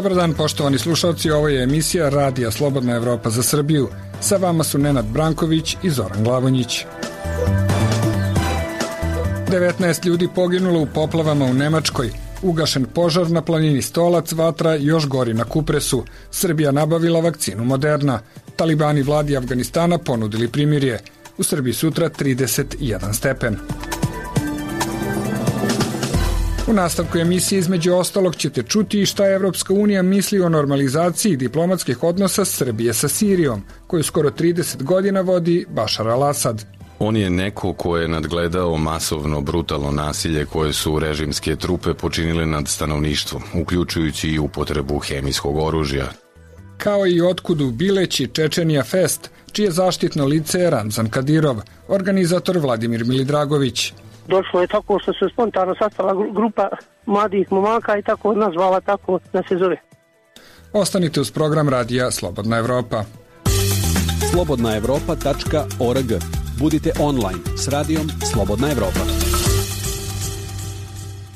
Dobar dan, poštovani slušalci, ovo je emisija Radija Slobodna Evropa za Srbiju. Sa vama su Nenad Branković i Zoran Glavonjić. 19 ljudi poginulo u poplavama u Nemačkoj. Ugašen požar na planini Stolac, vatra još gori na Kupresu. Srbija nabavila vakcinu Moderna. Talibani vladi Afganistana ponudili primirje. U Srbiji sutra 31 stepen. U nastavku emisije između ostalog ćete čuti i šta Evropska unija misli o normalizaciji diplomatskih odnosa Srbije sa Sirijom, koju skoro 30 godina vodi Bašar al-Asad. On je neko ko je nadgledao masovno brutalno nasilje koje su režimske trupe počinile nad stanovništvom, uključujući i upotrebu hemijskog oružja. Kao i otkudu Bileći Čečenija Fest, čije zaštitno lice je Ramzan Kadirov, organizator Vladimir Milidragović. Došlo je tako što se spontano sastala grupa mladih momaka i tako nazvala, tako da se zove. Ostanite uz program Radija Slobodna Evropa. slobodnaevropa.org. Budite online s radijom Slobodna Evropa.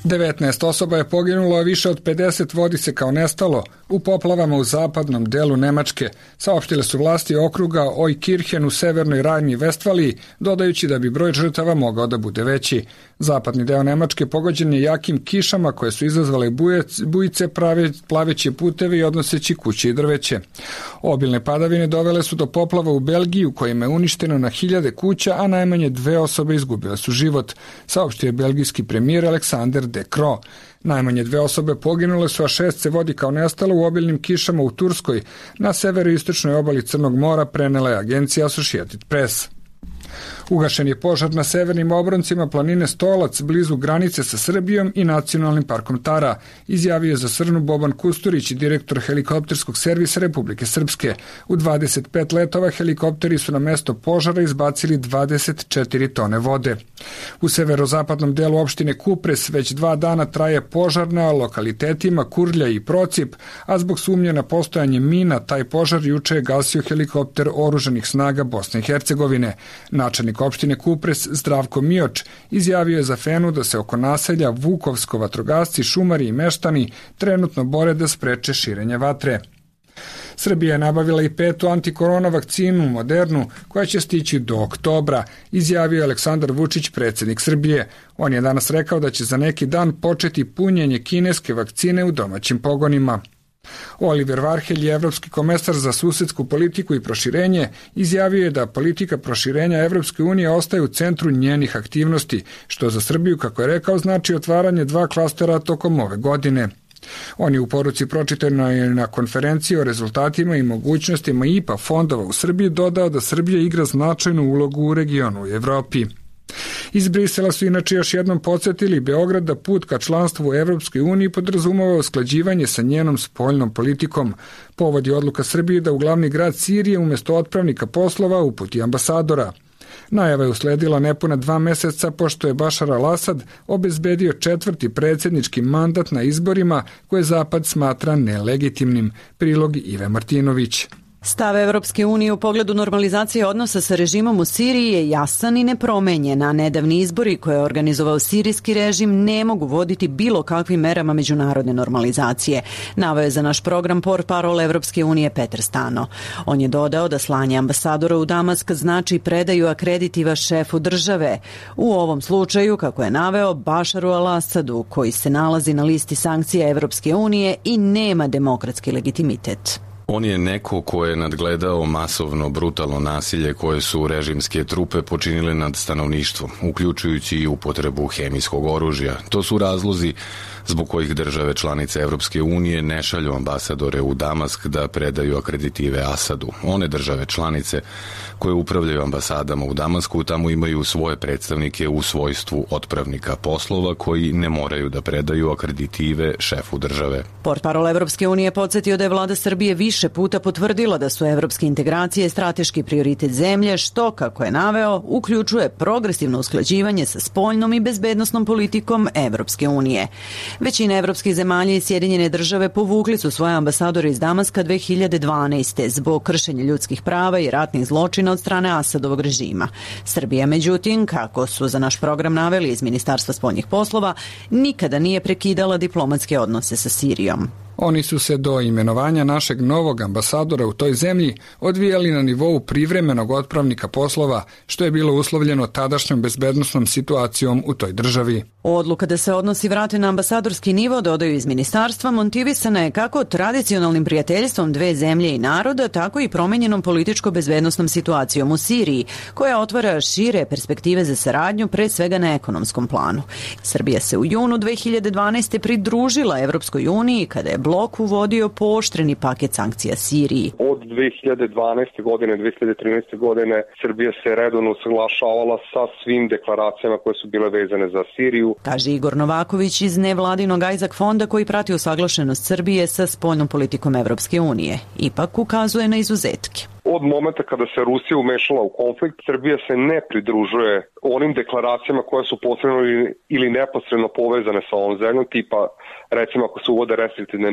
19 osoba je poginulo, a više od 50 vodi se kao nestalo u poplavama u zapadnom delu Nemačke, saopštile su vlasti okruga Oikirchen u severnoj Rajni-Vestfaliji, dodajući da bi broj žrtava mogao da bude veći. Zapadni deo Nemačke pogođen je jakim kišama koje su izazvale bujice, plaveći puteve i odnoseći kuće i drveće. Obilne padavine dovele su do poplava u Belgiji, u kojima je uništeno na hiljade kuća, a najmanje 2 osobe izgubile su život, saopštio je belgijski premijer Alexander De Croo. Najmanje 2 osobe poginule su, a 6 se vodi kao nestalo u obilnim kišama u Turskoj. Na severoistočnoj obali Crnog mora, prenela je agencija Associated Press. Ugašen je požar na severnim obroncima planine Stolac, blizu granice sa Srbijom i Nacionalnim parkom Tara, izjavio je za Srnu Boban Kusturić, direktor helikopterskog servisa Republike Srpske. U 25 letova helikopteri su na mesto požara izbacili 24 tone vode. U severozapadnom delu opštine Kupres već 2 dana traje požar na lokalitetima Kurlja i Procip, a zbog sumnje na postojanje mina taj požar juče je gasio helikopter oružanih snaga Bosne i Hercegovine. Načelnik opštine Kupres Zdravko Mioč izjavio je za Fenu da se oko naselja Vukovsko vatrogasci, šumari i meštani trenutno bore da spreče širenje vatre. Srbija je nabavila i 5. antikorona vakcinu Modernu, koja će stići do oktobra, izjavio je Aleksandar Vučić, predsjednik Srbije. On je danas rekao da će za neki dan početi punjenje kineske vakcine u domaćim pogonima. Oliver Varhelj, evropski komesar za susedsku politiku i proširenje, izjavio je da politika proširenja Evropske unije ostaje u centru njenih aktivnosti, što za Srbiju, kako je rekao, znači otvaranje 2 klastera tokom ove godine. On je u poruci pročitanoj na konferenciji o rezultatima i mogućnostima IPA fondova u Srbiji dodao da Srbija igra značajnu ulogu u regionu i Evropi. Iz Brisela su inače još jednom podsjetili Beograd da put ka članstvu u Evropskoj uniji podrazumeva usklađivanje sa njenom spoljnom politikom. Povod je odluka Srbije da u glavni grad Sirije umjesto otpravnika poslova uputi ambasadora. Najava je usledila nepuna 2 meseca pošto je Bašar al-Asad obezbedio 4. predsjednički mandat na izborima koje Zapad smatra nelegitimnim. Prilog Ive Martinović. Stav Evropske unije u pogledu normalizacije odnosa sa režimom u Siriji je jasan i nepromenjen, a nedavni izbori koje je organizovao sirijski režim ne mogu voditi bilo kakvim merama međunarodne normalizacije, naveo je za naš program portparol Evropske unije Petar Stano. On je dodao da slanje ambasadora u Damask znači predaju akreditiva šefu države. U ovom slučaju, kako je naveo, Bašaru al-Asadu, koji se nalazi na listi sankcija Evropske unije i nema demokratski legitimitet. On je neko ko je nadgledao masovno brutalno nasilje koje su režimske trupe počinile nad stanovništvom, uključujući i upotrebu hemijskog oružja. To su razlozi zbog kojih države članice Evropske unije ne šalju ambasadore u Damask da predaju akreditive Asadu. One države članice koje upravljaju ambasadama u Damasku tamo imaju svoje predstavnike u svojstvu otpravnika poslova koji ne moraju da predaju akreditive šefu države. Portparol Evropske unije podsjetio da je vlada Srbije više puta potvrdila da su evropske integracije strateški prioritet zemlje, što, kako je naveo, uključuje progresivno usklađivanje sa spoljnom i bezbednosnom politikom Evropske unije. Većina evropskih zemalja i Sjedinjene države povukli su svoje ambasadore iz Damaska 2012. zbog kršenja ljudskih prava i ratnih zločina od strane Asadovog režima. Srbija, međutim, kako su za naš program naveli iz Ministarstva spoljnih poslova, nikada nije prekidala diplomatske odnose sa Sirijom. Oni su se do imenovanja našeg novog ambasadora u toj zemlji odvijali na nivou privremenog otpravnika poslova, što je bilo uslovljeno tadašnjom bezbednosnom situacijom u toj državi. Odluka da se odnosi vrate na ambasadorski nivo, dodaju iz ministarstva, motivisana je kako tradicionalnim prijateljstvom dve zemlje i naroda, tako i promenjenom političko-bezbednosnom situacijom u Siriji, koja otvara šire perspektive za saradnju, pre svega na ekonomskom planu. Srbija se u junu 2012. pridružila Evropskoj uniji kada je blok uvodio pooštreni paket sankcija Siriji. Od 2012. godine, 2013. godine Srbija se redovno usaglašavala sa svim deklaracijama koje su bile vezane za Siriju. Kaže Igor Novaković iz nevladinog Isaac fonda koji prati usaglašenost Srbije sa spoljnom politikom Evropske unije. Ipak ukazuje na izuzetke. Od momenta kada se Rusija umešala u konflikt, Srbija se ne pridružuje onim deklaracijama koje su posredno ili neposredno povezane sa ovom zemljom, tipa recimo ako se uvode restriktivne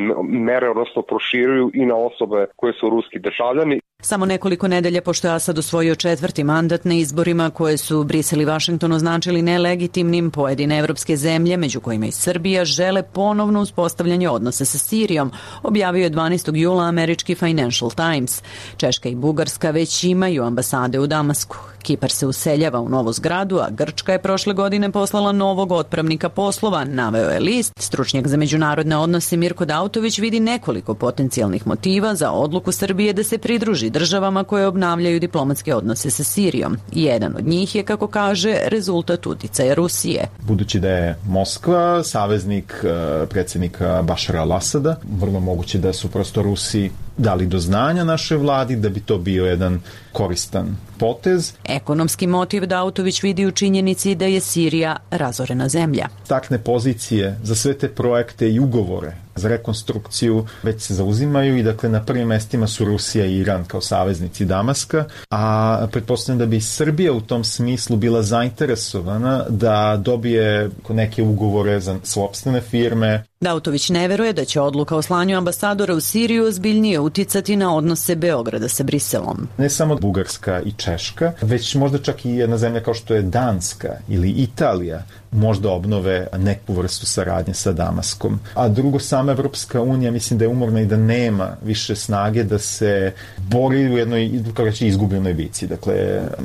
mere, odnosno proširuju i na osobe koje su ruski državljani. Samo nekoliko nedelja pošto je Asad osvojio 4. mandat na izborima koje su Brisel i Vašington označili nelegitimnim, pojedine evropske zemlje, među kojima i Srbija, žele ponovno uspostavljanje odnosa sa Sirijom, objavio je 12. jula američki Financial Times. Češka i Bugarska već imaju ambasade u Damasku. Kipar se useljava u novu zgradu, a Grčka je prošle godine poslala novog otpravnika poslova, naveo je list. Stručnjak za međunarodne odnose Mirko Dautović vidi nekoliko potencijalnih motiva za odluku Srbije da se pridruži državama koje obnavljaju diplomatske odnose sa Sirijom. Jedan od njih je, kako kaže, rezultat uticaja Rusije. Budući da je Moskva saveznik predsjednika Bašara al-Asada, vrlo moguće da su prosto Rusi dali do znanja našoj vladi da bi to bio jedan koristan potez. Ekonomski motiv Dautović vidi u činjenici da je Sirija razorena zemlja. Takne pozicije za sve te projekte i ugovore za rekonstrukciju već se zauzimaju i dakle na prvim mestima su Rusija i Iran kao saveznici Damaska, a pretpostavljam da bi Srbija u tom smislu bila zainteresovana da dobije neke ugovore za sopstvene firme. Dautović ne veruje da će odluka o slanju ambasadora u Siriju ozbiljnije uticati na odnose Beograda sa Briselom. Ne samo Bugarska i Češka, već možda čak i jedna zemlja kao što je Danska ili Italija možda obnove neku vrstu saradnje sa Damaskom. A drugo, sama Evropska unija mislim da je umorna i da nema više snage da se bori u jednoj, kako reći, izgubljenoj bici. Dakle,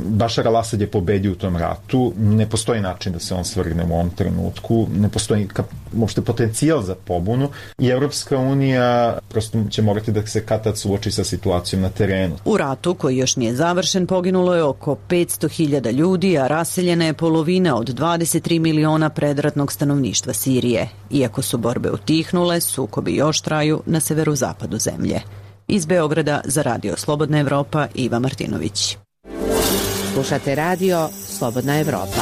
Bašar al-Asad je pobedio u tom ratu, ne postoji način da se on svrgne u ovom trenutku, ne postoji uopšte potencijal za pobunu i Evropska unija prosto će morati da se kad-tad suoči sa situacijom na terenu. U ratu, koji još nije završen, poginulo je oko 500.000 ljudi, a raseljena je polovina od 23 miliona predratnog stanovništva Sirije. Iako su borbe utihnule, sukobi još traju na severozapadu zemlje. Iz Beograda za Radio Slobodna Evropa, Iva Martinović. Slušate Radio Slobodna Evropa.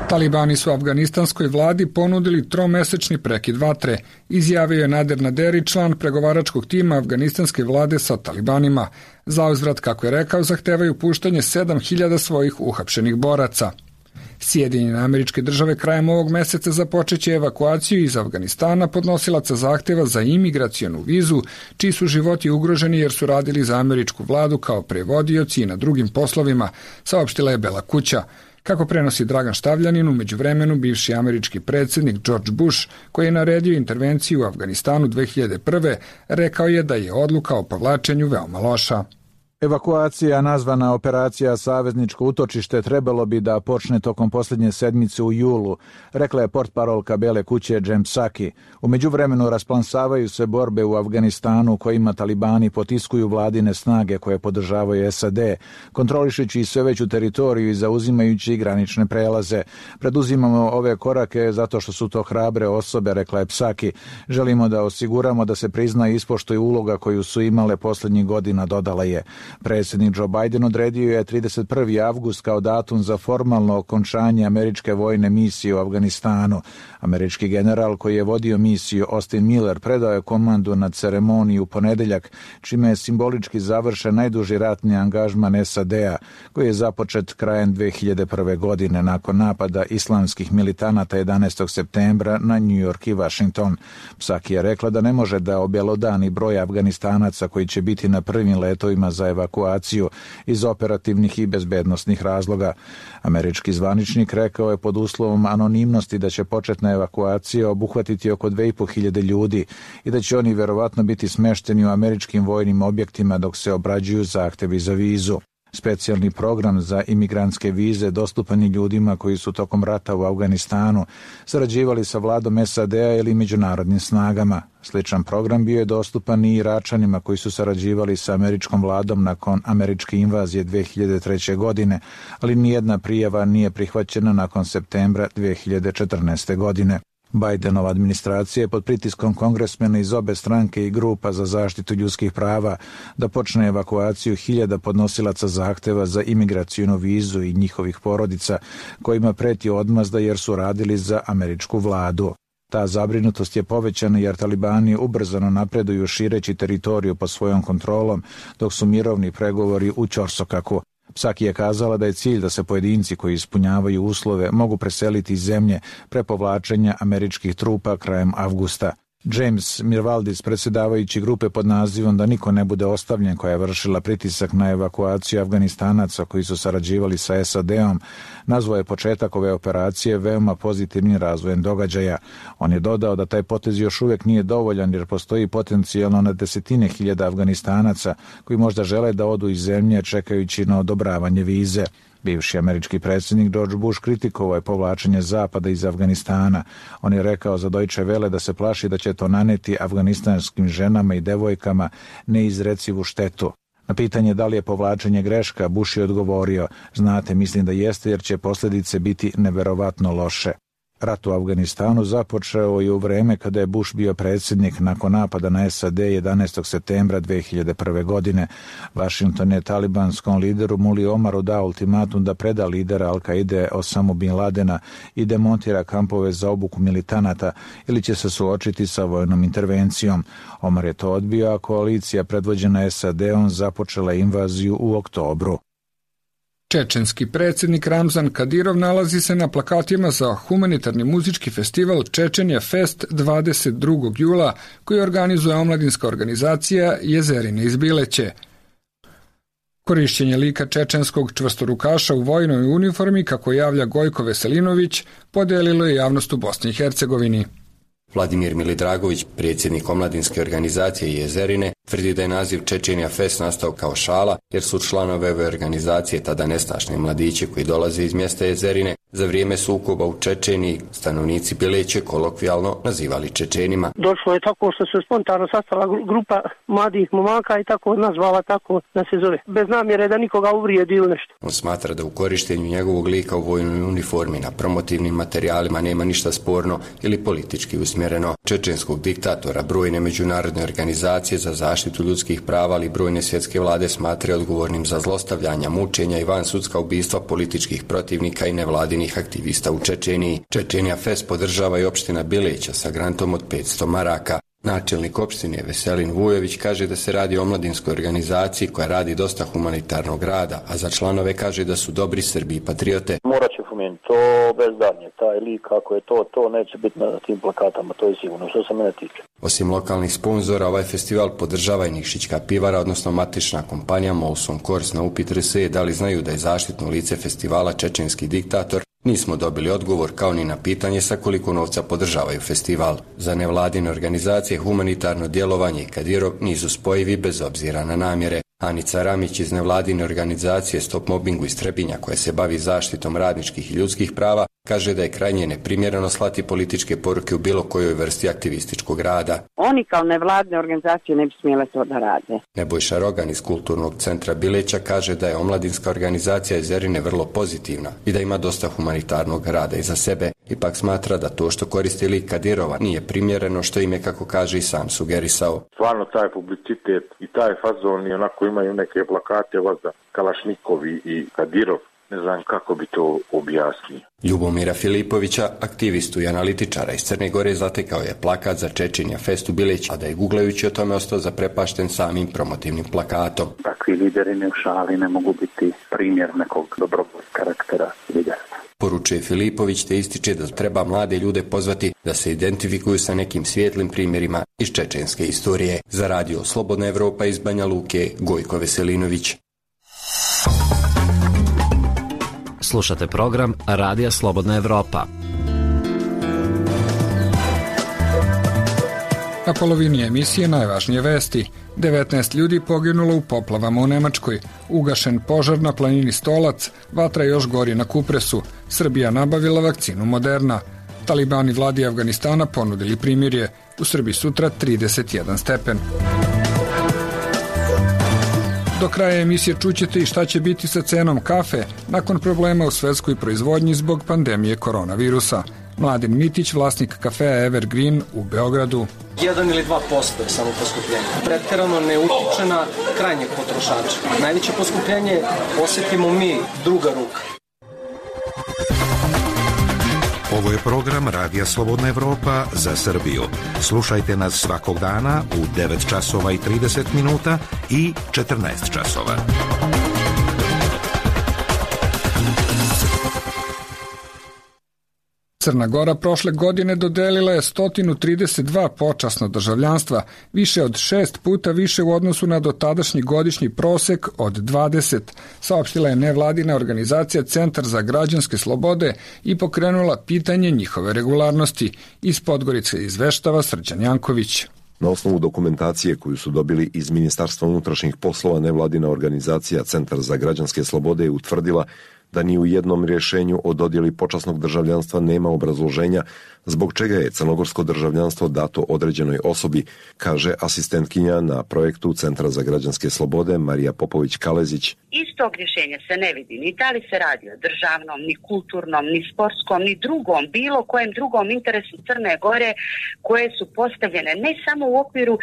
Talibani su afganistanskoj vladi ponudili tromesečni prekid vatre, izjavio je Nader Naderi, član pregovaračkog tima afganistanske vlade sa talibanima. Zauzvrat, kako je rekao, zahtevaju puštanje 7.000 svojih uhapšenih boraca. Sjedinjene Američke Države krajem ovog meseca započeće evakuaciju iz Afganistana podnosilaca zahteva za imigracionu vizu, čiji su životi ugroženi jer su radili za američku vladu kao prevodioci i na drugim poslovima, saopštila je Bela kuća. Kako prenosi Dragan Štavljanin, u međuvremenu bivši američki predsjednik George Bush, koji je naredio intervenciju u Afganistanu 2001. rekao je da je odluka o povlačenju veoma loša. Evakuacija, nazvana operacija Savezničko utočište, trebalo bi da počne tokom posljednje sedmice u julu, rekla je portparolka Bele kuće Jen Psaki. U međuvremenu rasplansavaju se borbe u Afganistanu kojima talibani potiskuju vladine snage koje podržavaju SAD, kontrolišući sve veću teritoriju i zauzimajući granične prelaze. Preduzimamo ove korake zato što su to hrabre osobe, rekla je Psaki. Želimo da osiguramo da se prizna i ispoštuje uloga koju su imale posljednjih godina, dodala je. Predsjednik Joe Biden odredio je 31. avgust kao datum za formalno okončanje američke vojne misije u Afganistanu. Američki general koji je vodio misiju Austin Miller predao je komandu na ceremoniji u ponedeljak, čime je simbolički završen najduži ratni angažman SAD-a, koji je započet krajem 2001. godine nakon napada islamskih militanata 11. septembra na New York i Washington. Psaki je rekla da ne može da objelodani broj Afganistanaca koji će biti na prvim letovima za evakuaciju iz operativnih i bezbednosnih razloga. Američki zvaničnik rekao je pod uslovom anonimnosti da će početna evakuacija obuhvatiti oko 2.500 ljudi i da će oni verovatno biti smešteni u američkim vojnim objektima dok se obrađuju zahtevi za vizu. Specijalni program za imigrantske vize dostupan je ljudima koji su tokom rata u Afganistanu sarađivali sa vladom SAD-a ili međunarodnim snagama. Sličan program bio je dostupan i Iračanima koji su sarađivali sa američkom vladom nakon američke invazije 2003. godine, ali nijedna prijava nije prihvaćena nakon septembra 2014. godine. Bidenova administracija je pod pritiskom kongresmena iz obe stranke i grupa za zaštitu ljudskih prava da počne evakuaciju 1000 podnosilaca zahteva za imigracijnu vizu i njihovih porodica kojima preti odmazda jer su radili za američku vladu. Ta zabrinutost je povećana jer talibani ubrzano napreduju šireći teritoriju pod svojom kontrolom dok su mirovni pregovori u ćorsokaku. Psaki je kazala da je cilj da se pojedinci koji ispunjavaju uslove mogu preseliti iz zemlje pre povlačenja američkih trupa krajem avgusta. James Mirvaldis, predsjedavajući grupe pod nazivom Da niko ne bude ostavljen, koja je vršila pritisak na evakuaciju Afganistanaca koji su sarađivali sa SAD-om, nazvao je početak ove operacije veoma pozitivnim razvojem događaja. On je dodao da taj potez još uvijek nije dovoljan jer postoji potencijalno na desetine hiljada Afganistanaca koji možda žele da odu iz zemlje čekajući na odobravanje vize. Bivši američki predsjednik George Bush kritikovao je povlačenje Zapada iz Afganistana. On je rekao za Deutsche Welle da se plaši da će to naneti afganistanskim ženama i devojkama neizrecivu štetu. Na pitanje da li je povlačenje greška, Bush je odgovorio: znate, mislim da jeste jer će posljedice biti neverovatno loše. Rat u Afganistanu započeo je u vreme kada je Bush bio predsjednik nakon napada na SAD 11. septembra 2001. godine. Washington je talibanskom lideru Muli Omaru dao ultimatum da preda lidera Al-Kaide Osamu Bin Ladena i demontira kampove za obuku militanata ili će se suočiti sa vojnom intervencijom. Omar je to odbio, a koalicija predvođena SAD-om započela invaziju u oktobru. Čečenski predsjednik Ramzan Kadirov nalazi se na plakatima za humanitarni muzički festival Čečenja Fest 22. jula koji organizuje omladinska organizacija Jezerine iz Bileće. Korišćenje lika čečenskog čvrstorukaša u vojnoj uniformi, kako javlja Gojko Veselinović, podelilo je javnost u Bosni i Hercegovini. Vladimir Milidragović, predsjednik omladinske organizacije Jezerine, tvrdi da je naziv Čečenja Fest nastao kao šala, jer su članove ove organizacije tada nestašni mladići koji dolaze iz mjesta Jezerine za vrijeme sukoba u Čečeniji stanovnici Bileće kolokvijalno nazivali Čečenima. Došlo je tako što se spontano sastala grupa mladih momaka i tako nazvala tako da se zove. Bez namjere da nikoga uvrijedi ili nešto. On smatra da u korištenju njegovog lika u vojnoj uniformi na promotivnim materijalima nema ništa sporno ili politički usmjereno. Čečenskog diktatora brojne međunarodne organizacije za zaštitu ljudskih prava, ali brojne svjetske vlade smatraju odgovornim za zlostavljanja, mučenja i vansudska ubistva političkih protivnika i nevladinih aktivista u Čečeniji. Čečenja Fest podržava i opština Bileća sa grantom od 500 maraka. Načelnik opštine Veselin Vujović kaže da se radi o omladinskoj organizaciji koja radi dosta humanitarnog rada, a za članove kaže da su dobri Srbi i patriote. Morat će pomenuti to bez danje, taj lik kako je to neće biti na tim plakatama, to je sigurno, što se mene tiče. Osim lokalnih sponzora, ovaj festival podržava i Nikšićka pivara, odnosno matična kompanija Molson Coors. Na upit RSE da li znaju da je zaštitno lice festivala čečenski diktator, nismo dobili odgovor, kao ni na pitanje sa koliko novca podržavaju festival. Za nevladine organizacije humanitarno djelovanje i Kadirov nisu spojivi bez obzira na namjere. Anica Ramić iz nevladine organizacije Stop Mobbingu iz Trebinja, koja se bavi zaštitom radničkih i ljudskih prava, kaže da je krajnje neprimjereno slati političke poruke u bilo kojoj vrsti aktivističkog rada. Oni kao nevladine organizacije ne bi smjele to da rade. Nebojša Rogan iz Kulturnog centra Bileća kaže da je omladinska organizacija Jezerine vrlo pozitivna i da ima dosta humanitarnog rada iza sebe. Ipak smatra da to što koristi lik Kadirova nije primjereno, što im je, kako kaže, i sam sugerisao. Stvarno taj publicitet i taj fazon i onako imaju neke plakate vazda Kalašnikovi i Kadirov. Ne znam kako bi to objasnio. Ljubomira Filipovića, aktivistu i analitičara iz Crne Gore, zatekao je plakat za Čečenja Fest u Bileći, a da je guglajući o tome ostao zaprepašten samim promotivnim plakatom. Takvi lideri ne u šali ne mogu biti primjer nekog dobrog karaktera lidera. poručuje Filipović, te ističe da treba mlade ljude pozvati da se identifikuju sa nekim svijetlim primjerima iz čečenske istorije. Za radio Slobodna Evropa iz Banja Luke, Gojko Veselinović. Slušate program Radija Slobodna Evropa. Na polovini emisije najvažnije vesti. 19 ljudi poginulo u poplavama u Nemačkoj. Ugašen požar na planini Stolac, vatra još gori na Kupresu. Srbija nabavila vakcinu Moderna. Talibani vladi Afganistana ponudili primirje. U Srbiji sutra 31 stepen. Do kraja emisije čućete i šta će biti sa cenom kafe nakon problema u svetskoj proizvodnji zbog pandemije koronavirusa. Mladen Mitić, vlasnik kafea Evergreen u Beogradu. 1 ili 2% je samo poskupljenje. Pretjerano ne utiče na krajnjeg potrošača. Najveće poskupljenje osjetimo mi, druga ruka. Ovo je program Radija Slobodna Evropa za Srbiju. Slušajte nas svakog dana u 9 časova i 30 minuta i 14 časova. Crna Gora prošle godine dodelila je 132 počasno državljanstva, više od 6 puta više u odnosu na dotadašnji godišnji prosek od 20, saopštila je nevladina organizacija Centar za građanske slobode i pokrenula pitanje njihove regularnosti. Iz Podgorice izveštava Srđan Janković. Na osnovu dokumentacije koju su dobili iz Ministarstva unutrašnjih poslova, nevladina organizacija Centar za građanske slobode je utvrdila da ni u jednom rješenju o dodjeli počasnog državljanstva nema obrazloženja zbog čega je crnogorsko državljanstvo dato određenoj osobi, kaže asistentkinja na projektu Centra za građanske slobode Marija Popović-Kalezić. Iz tog rješenja se ne vidi ni da li se radi o državnom, ni kulturnom, ni sportskom, ni drugom, bilo kojem drugom interesu Crne Gore koje su postavljene ne samo u okviru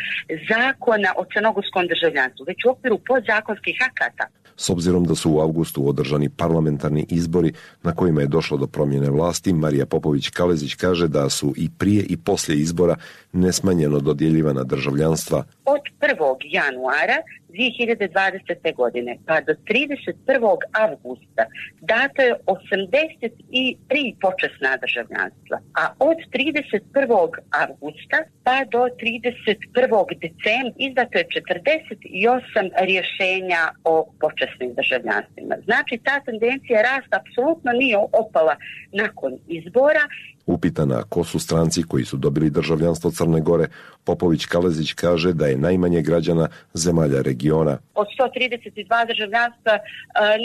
zakona o crnogorskom državljanstvu, već u okviru podzakonskih akata. S obzirom da su u avgustu održani parlamentarni izbori na kojima je došlo do promjene vlasti, Marija Popović-Kalezić kaže da su i prije i poslije izbora nesmanjeno dodjeljivana državljanstva. Od 1. januara 2020. godine pa do 31. avgusta dato je 83 počasna državljanstva, a od 31. avgusta pa do 31. decembra izdato je 48 rješenja o počasnim državljanstvima. Znači, ta tendencija rasta apsolutno nije opala nakon izbora. Upitana ko su stranci koji su dobili državljanstvo Crne Gore, Popović-Kalezić kaže da je najmanje građana zemalja regiona. Od 132 državljanstva,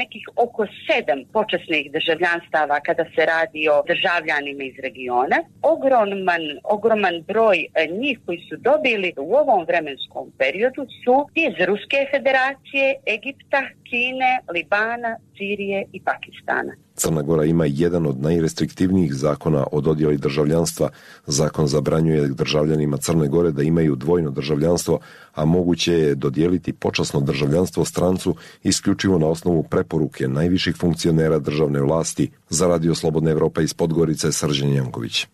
nekih oko 7 počasnih državljanstava kada se radi o državljanima iz regiona. Ogroman broj njih koji su dobili u ovom vremenskom periodu su iz Ruske federacije, Egipta, Kine, Libana, Sirije i Pakistana. Crna Gora ima jedan od najrestriktivnijih zakona o dodjeli državljanstva. Zakon zabranjuje državljanima Crne Gore da imaju dvojno državljanstvo, a moguće je dodijeliti počasno državljanstvo strancu isključivo na osnovu preporuke najviših funkcionera državne vlasti. Za Radio Slobodna Evropa iz Podgorice, Srđan Janković.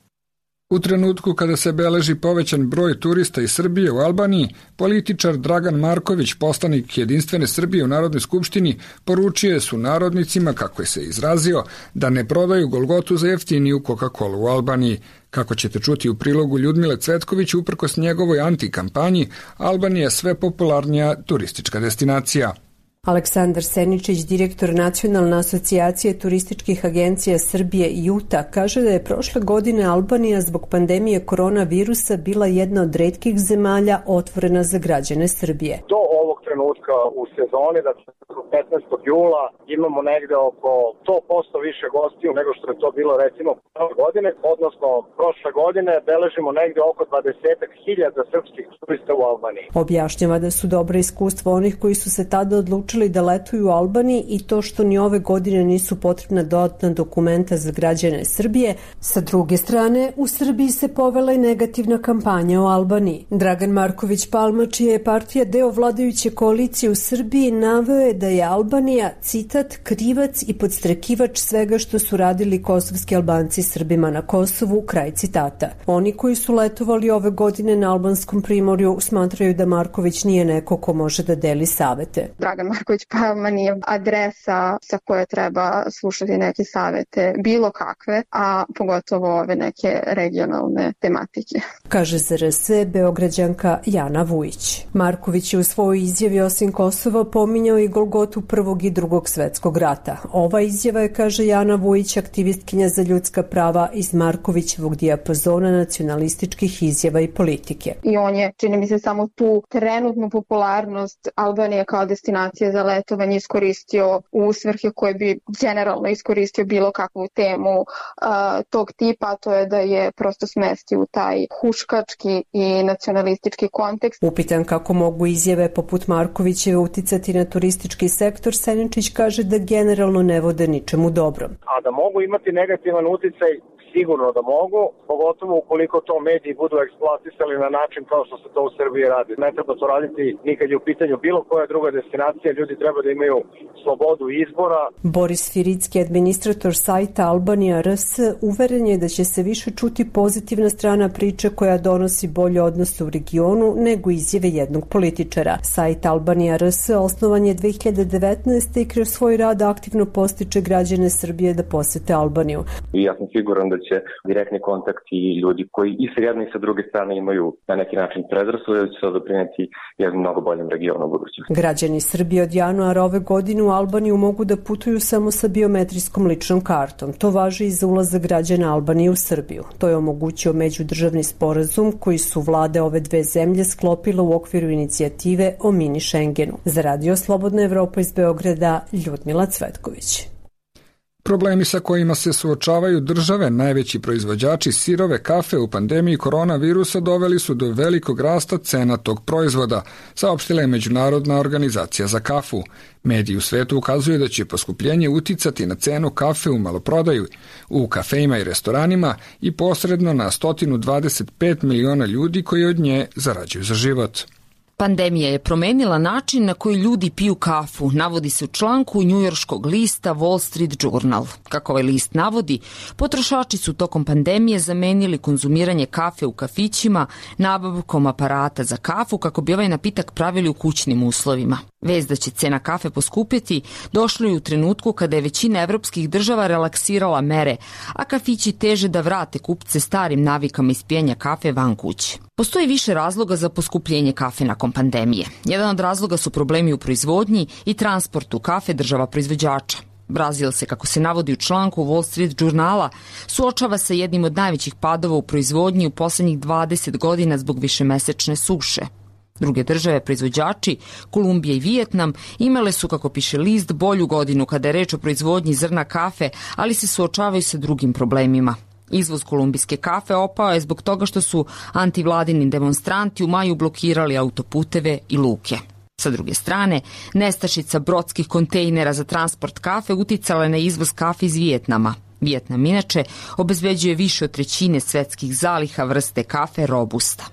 U trenutku kada se beleži povećan broj turista iz Srbije u Albaniji, političar Dragan Marković, poslanik Jedinstvene Srbije u Narodnoj skupštini, poručio su narodnicima, kako je se izrazio, da ne prodaju Golgotu za jeftiniju Coca-Cola u Albaniji. Kako ćete čuti u prilogu Ljudmile Cvetković, uprkos njegovoj antikampanji, Albanija je sve popularnija turistička destinacija. Aleksandar Seničić, direktor Nacionalne asocijacije turističkih agencija Srbije JUTA, kaže da je prošle godine Albanija zbog pandemije koronavirusa bila jedna od retkih zemalja otvorena za građane Srbije. Do ovog trenutka u sezoni, da 15. jula imamo negde oko 100% više gostiju nego što je to bilo recimo prošle godine, odnosno prošle godine beležimo negde oko 20.000 srpskih turista u Albaniji. Objašnjava da su dobra iskustva onih koji su se tada odlučili da letuju u Albaniji i to što ni ove godine nisu potrebna dodatna dokumenta za građane Srbije. Sa druge strane, u Srbiji se povela i negativna kampanja o Albaniji. Dragan Marković Palma, čija je partija deo vladajuće koalicije u Srbiji naveo je da je Albanija, citat, krivac i podstrekivač svega što su radili kosovski Albanci Srbima na Kosovu, kraj citata. Oni koji su letovali ove godine na albanskom primorju smatraju da Marković nije neko ko može da deli savete. Dragan Marković Palma nije adresa sa koje treba slušati neke savete, bilo kakve, a pogotovo ove neke regionalne tematike. Kaže za RS Beograđanka Jana Vujić. Marković je u svojoj izjavi osim Kosova pominjao i Golgotu Prvog i Drugog svetskog rata. Ova izjava je, kaže Jana Vujić, aktivistkinja za ljudska prava iz Markovićevog dijapazona nacionalističkih izjava i politike. I on je, čini mi se, samo tu trenutnu popularnost Albanije kao destinacije za letovanje iskoristio u svrhe koje bi generalno iskoristio bilo kakvu temu tog tipa, a to je da je prosto smesti u taj huškački i nacionalistički kontekst. Upitan kako mogu izjave poput Markovićeve uticati na turistički sektor, Seničić kaže da generalno ne vode ničemu dobrom. A da mogu imati negativan uticaj, sigurno da mogu, pogotovo ukoliko to mediji budu eksploatisali na način kao što se to u Srbiji radi. Ne treba to raditi nikad je u pitanju bilo koja druga destinacija, ljudi treba da imaju slobodu izbora. Boris Firicki, administrator sajta Albanija RS, uveren je da će se više čuti pozitivna strana priče koja donosi bolje odnose u regionu nego izjave jednog političara. Sajt Albanija RS osnovan je 2019. i kroz svoj rad aktivno postiče građane Srbije da posete Albaniju. I ja sam siguran da će direktni kontakt i ljudi koji i sa jedne i sa druge strane imaju na neki način predrasude, da će se doprineti jednom mnogo boljem regionu u budućnosti. Građani Srbije od januara ove godine u Albaniju mogu da putuju samo sa biometrijskom ličnom kartom. To važi i za ulazak građana Albanije u Srbiju. To je omogućio međudržavni sporazum koji su vlade ove dve zemlje sklopile u okviru inicijative o mini Schengenu. Za Radio Slobodna Evropa iz Beograda, Ljudmila Cvetković. Problemi sa kojima se suočavaju države, najveći proizvođači sirove kafe u pandemiji koronavirusa doveli su do velikog rasta cena tog proizvoda, saopštila je Međunarodna organizacija za kafu. Mediji u svetu ukazuju da će poskupljenje uticati na cenu kafe u maloprodaju, u kafejima i restoranima i posredno na 125 miliona ljudi koji od nje zarađuju za život. Pandemija je promenila način na koji ljudi piju kafu, navodi se u članku njujorškog lista Wall Street Journal. Kako ovaj list navodi, potrošači su tokom pandemije zamenili konzumiranje kafe u kafićima nabavkom aparata za kafu kako bi ovaj napitak pravili u kućnim uslovima. Vest da će cena kafe poskupjeti došlo je u trenutku kada je većina evropskih država relaksirala mere, a kafići teže da vrate kupce starim navikama ispijanja kafe van kuće. Postoji više razloga za poskupljenje kafe nakon pandemije. Jedan od razloga su problemi u proizvodnji i transportu kafe država proizvođača. Brazil se, kako se navodi u članku Wall Street Journala, suočava sa jednim od najvećih padova u proizvodnji u poslednjih 20 godina zbog višemesečne suše. Druge države proizvođači, Kolumbija i Vijetnam, imale su, kako piše list, bolju godinu kada je reč o proizvodnji zrna kafe, ali se suočavaju sa drugim problemima. Izvoz kolumbijske kafe opao je zbog toga što su antivladini demonstranti u maju blokirali autoputeve i luke. Sa druge strane, nestašica brodskih kontejnera za transport kafe uticala je na izvoz kafe iz Vijetnama. Vijetnam inače obezbeđuje više od trećine svetskih zaliha vrste kafe Robusta.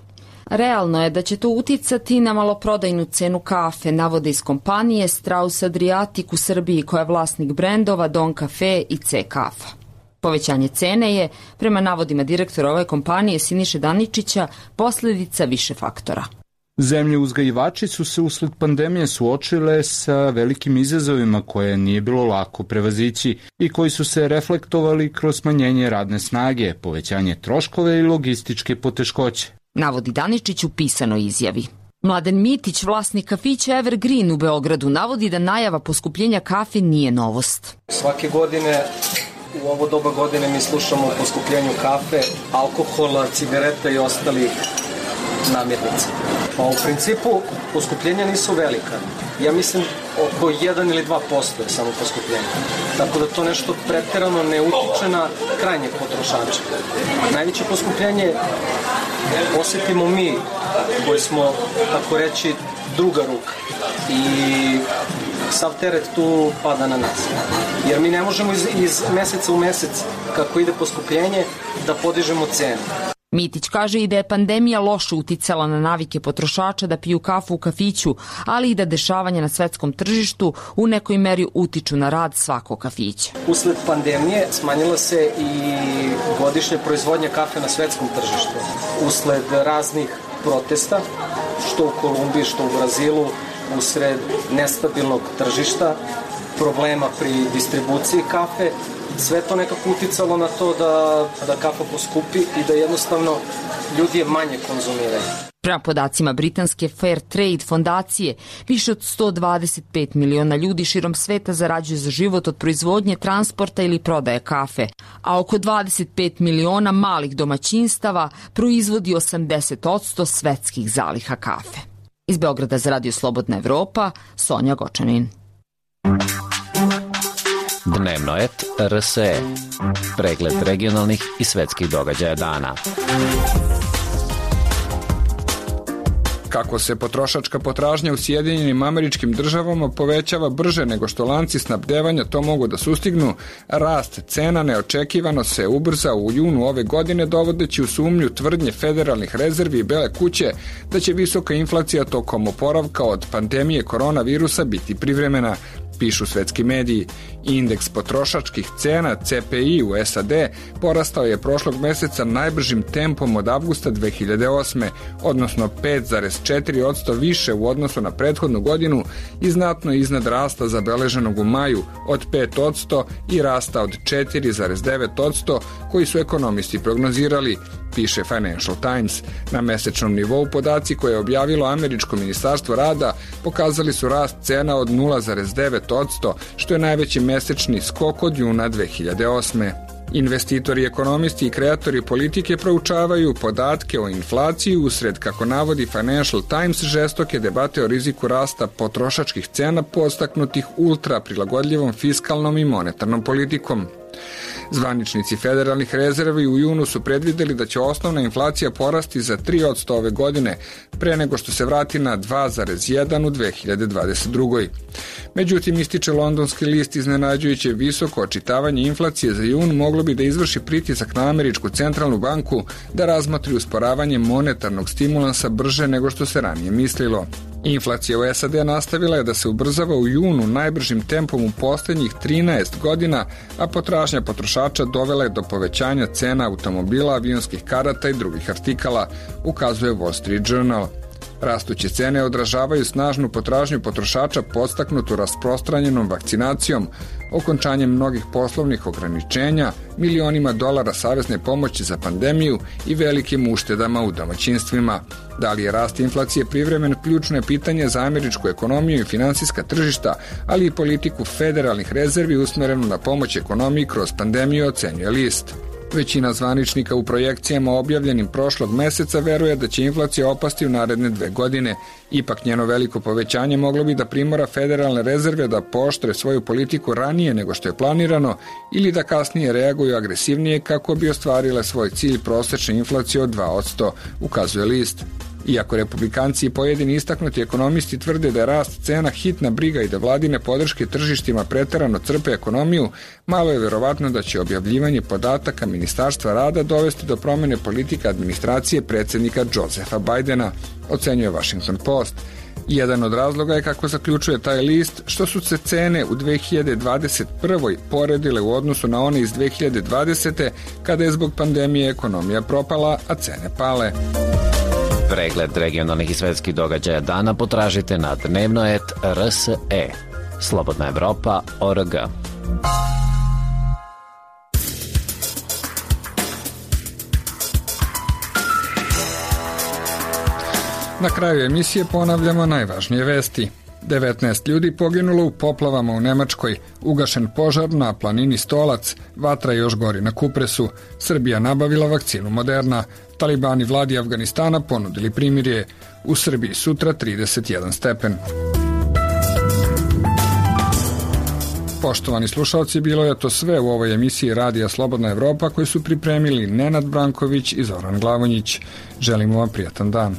Realno je da će to uticati na maloprodajnu cenu kafe, navode iz kompanije Strauss Adriatic u Srbiji koja je vlasnik brendova Don Cafe i C Kafa. Povećanje cene je, prema navodima direktora ove kompanije Siniše Daničića, posljedica više faktora. Zemlje uzgajivači su se usled pandemije suočile sa velikim izazovima koje nije bilo lako prevazići i koji su se reflektovali kroz smanjenje radne snage, povećanje troškove i logističke poteškoće. Navodi Daničić u pisanoj izjavi. Mladen Mitić, vlasnik kafića Evergreen u Beogradu, navodi da najava poskupljenja kafe nije novost. Svake godine u ovo doba godine mi slušamo o poskupljenju kafe, alkohola, cigareta i ostalih namirnica. Pa u principu poskupljenja nisu velika. Ja mislim oko 1 ili 2% je samo poskupljenje. Tako da to nešto pretjerano ne utiče na krajnjeg potrošača. Najveće poskupljenje osjetimo mi koji smo, tako reći, druga ruka. I sav teret tu pada na nas. Jer mi ne možemo iz meseca u mesec, kako ide poskupljenje, da podižemo cenu. Mitić kaže i da je pandemija loše uticala na navike potrošača da piju kafu u kafiću, ali i da dešavanja na svetskom tržištu u nekoj meri utiču na rad svakog kafića. Usled pandemije smanjila se i godišnja proizvodnja kafe na svetskom tržištu. Usled raznih protesta, što u Kolumbiji, što u Brazilu, usred nestabilnog tržišta, problema pri distribuciji kafe, sve to nekako uticalo na to da kafa poskupi i da jednostavno ljudi je manje konzumiraju. Prema podacima britanske Fair Trade fondacije, više od 125 miliona ljudi širom sveta zarađuju za život od proizvodnje, transporta ili prodaje kafe, a oko 25 miliona malih domaćinstava proizvodi 80% svetskih zaliha kafe. Iz Beograda za Radio Slobodna Evropa, Sonja Gočanin. Dnevno et RSE. Pregled regionalnih i svetskih događaja dana. Kako se potrošačka potražnja u Sjedinjenim Američkim Državama povećava brže nego što lanci snabdevanja to mogu da sustignu, rast cena neočekivano se ubrzao u junu ove godine, dovodeći u sumnju tvrdnje federalnih rezervi i Bele kuće da će visoka inflacija tokom oporavka od pandemije koronavirusa biti privremena, pišu svetski mediji. Indeks potrošačkih cena CPI u SAD porastao je prošlog meseca najbržim tempom od avgusta 2008. odnosno 5,4% više u odnosu na prethodnu godinu i znatno iznad rasta zabeleženog u maju od 5% i rasta od 4,9% koji su ekonomisti prognozirali, piše Financial Times. Na mesečnom nivou podaci koje je objavilo Američko ministarstvo rada pokazali su rast cena od 0,9%, što je najveći mesečni skok od juna 2008. Investitori, ekonomisti i kreatori politike proučavaju podatke o inflaciji usred, kako navodi Financial Times, žestoke debate o riziku rasta potrošačkih cena podstaknutih ultra prilagodljivom fiskalnom i monetarnom politikom. Zvaničnici federalnih rezervi u junu su predvideli da će osnovna inflacija porasti za 3% ove godine, pre nego što se vrati na 2,1 u 2022. Međutim, ističe londonski list, iznenađujuće visoko očitavanje inflacije za jun moglo bi da izvrši pritisak na Američku centralnu banku da razmotri usporavanje monetarnog stimulansa brže nego što se ranije mislilo. Inflacija u SAD nastavila je da se ubrzava u junu najbržim tempom u posljednjih 13 godina, a potražnja potrošača dovela je do povećanja cena automobila, avionskih karata i drugih artikala, ukazuje Wall Street Journal. Rastuće cene odražavaju snažnu potražnju potrošača podstaknutu rasprostranjenom vakcinacijom, okončanjem mnogih poslovnih ograničenja, milionima dolara savezne pomoći za pandemiju i velikim uštedama u domaćinstvima. Da li je rast inflacije privremen, ključno je pitanje za američku ekonomiju i finansijska tržišta, ali i politiku federalnih rezervi usmerenu na pomoć ekonomiji kroz pandemiju, ocenjuje list. Većina zvaničnika u projekcijama objavljenim prošlog meseca veruje da će inflacija opasti u naredne 2 godine. Ipak njeno veliko povećanje moglo bi da primora federalne rezerve da pooštre svoju politiku ranije nego što je planirano ili da kasnije reaguju agresivnije kako bi ostvarile svoj cilj prosečne inflacije od 2%, ukazuje list. Iako republikanci i pojedini istaknuti ekonomisti tvrde da je rast cena hitna briga i da vladine podrške tržištima preterano crpe ekonomiju, malo je verovatno da će objavljivanje podataka Ministarstva rada dovesti do promene politika administracije predsjednika Josepha Bidena, ocenjuje Washington Post. Jedan od razloga je, kako zaključuje taj list, što su se cene u 2021. poredile u odnosu na one iz 2020. kada je zbog pandemije ekonomija propala, a cene pale. Pregled regionalnih i svetskih događaja dana potražite na dnevnoet.rse. Slobodna Evropa.org. Na kraju emisije ponavljamo najvažnije vesti. 19 ljudi poginulo u poplavama u Nemačkoj, ugašen požar na planini Stolac, vatra još gori na Kupresu, Srbija nabavila vakcinu Moderna, talibani vladi Afganistana ponudili primirje, u Srbiji sutra 31 stepen. Poštovani slušalci, bilo je to sve u ovoj emisiji Radija Slobodna Evropa koju su pripremili Nenad Branković i Zoran Glavonjić. Želimo vam prijatan dan.